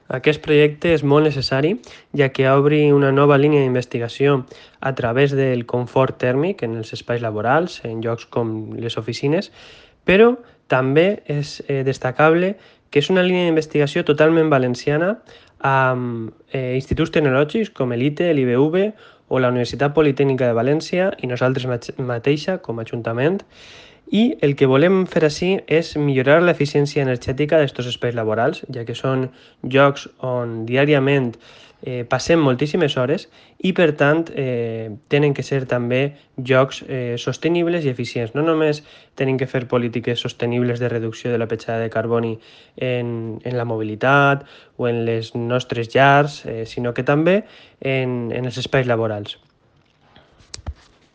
Aquest projecte és molt necessari, ja que obre una nova línia d'investigació a través del confort tèrmic en els espais laborals, en llocs com les oficines, però també és destacable que és una línia d'investigació totalment valenciana amb instituts tecnològics com l'ITE, l'IBV o la Universitat Politècnica de València i nosaltres mateixa com a Ajuntament. I el que volem fer ací és millorar l'eficiència energètica d'estos espais laborals, ja que són llocs on diàriament passem moltíssimes hores i, per tant, tenen que ser també llocs sostenibles i eficients. No només tenim que fer polítiques sostenibles de reducció de la petjada de carboni en la mobilitat o en les nostres llars, sinó que també en els espais laborals.